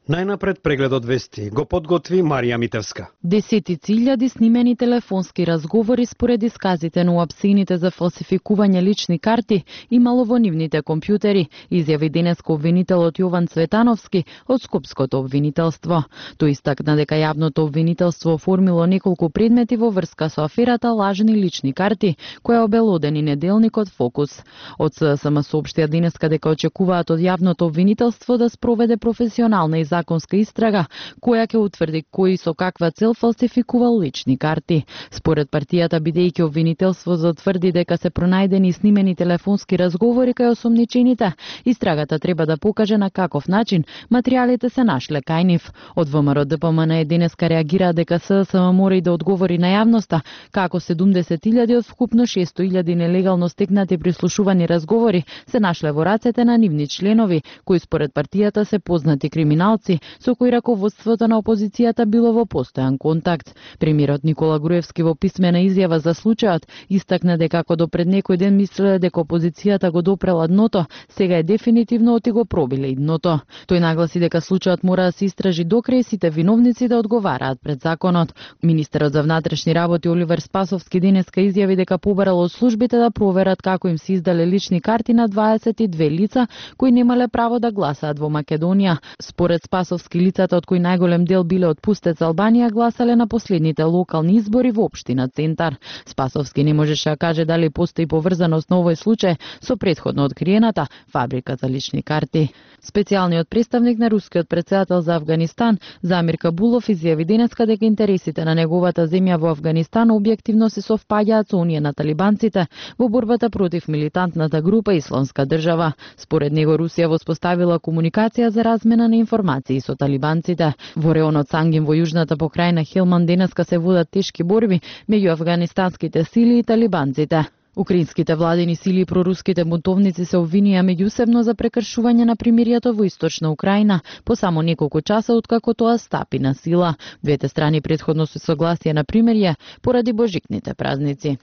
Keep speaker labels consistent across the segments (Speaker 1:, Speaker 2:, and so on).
Speaker 1: Најнапред прегледот вести го подготви Марија Митевска.
Speaker 2: Десетици илјади снимени телефонски разговори според исказите на уапсените за фалсификување лични карти имало во нивните компјутери, изјави денеска обвинителот Јован Цветановски од Скопското обвинителство. Тој истакна дека јавното обвинителство оформило неколку предмети во врска со аферата лажни лични карти, која обелодени неделникот Фокус. Од ССМ соопштија денеска дека очекуваат од јавното обвинителство да спроведе професионална и законска истрага, која ќе утврди кои со каква цел фалсификувал лични карти. Според партијата, бидејќи обвинителството тврди дека се пронајдени снимени телефонски разговори кај осомничените, истрагата треба да покаже на каков начин материјалите се нашле кај нив. Од ВМРО ДПМН денеска реагира дека ССМ мора и да одговори на јавноста како 70.000 од вкупно 600.000 нелегално стекнати прислушувани разговори се нашле во рацете на нивни членови, кои според партијата се познати криминалци со кои раководството на опозицијата било во постојан контакт. Премиерот Никола Груевски во писмена изјава за случајот истакна дека ако до пред некој ден мислеле дека опозицијата го допрела дното, сега е дефинитивно оти го пробиле и дното. Тој нагласи дека случајот мора да се истражи до крај, сите виновници да одговараат пред законот. Министерот за внатрешни работи Оливер Спасовски денеска изјави дека побарал од службите да проверат како им се издале лични карти на 22 лица кои немале право да гласаат во Македонија. Според Спасовски, лицата од кои најголем дел биле од Пустец Албанија гласале на последните локални избори во општина Центар. Спасовски не можеше да каже дали постои поврзаност на овој случај со претходно откриената фабрика за лични карти. Специјалниот представник на рускиот претседател за Авганистан, Замир Кабулов, изјави денеска дека интересите на неговата земја во Авганистан објективно се совпаѓаат со оние на талибанците во борбата против милитантната група Исламска држава. Според него Русија воспоставила комуникација за размена на информации со талибанците. Во реонот Сангин во јужната покрајна Хелман денеска се водат тешки борби меѓу афганистанските сили и талибанците. Украинските владени сили и проруските бунтовници се обвинија меѓусебно за прекршување на примиријето во источна Украина по само неколку часа откако тоа стапи на сила. Двете страни претходно се согласија на примирие поради божикните празници.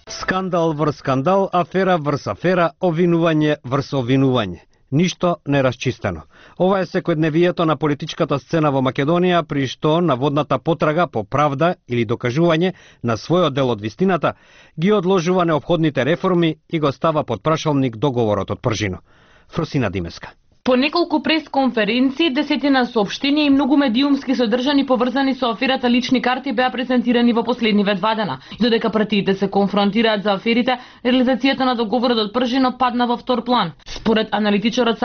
Speaker 1: Скандал врз скандал, афера врз афера, обвинување врз обвинување. Ништо не расчистено. Ова е секојдневието на политичката сцена во Македонија, при што наводната потрага по правда или докажување на својот дел од вистината ги одложува неопходните реформи и го става под прашалник договорот од Пржино. Фросина Димеска.
Speaker 3: По неколку пресконференции, десетина соопштенија и многу медиумски содржани поврзани со аферата лични карти беа презентирани во последниве 2 дена. Додека партиите се конфронтираат за аферите, реализацијата на договорот од Пржино падна во втор план. Според аналитичарот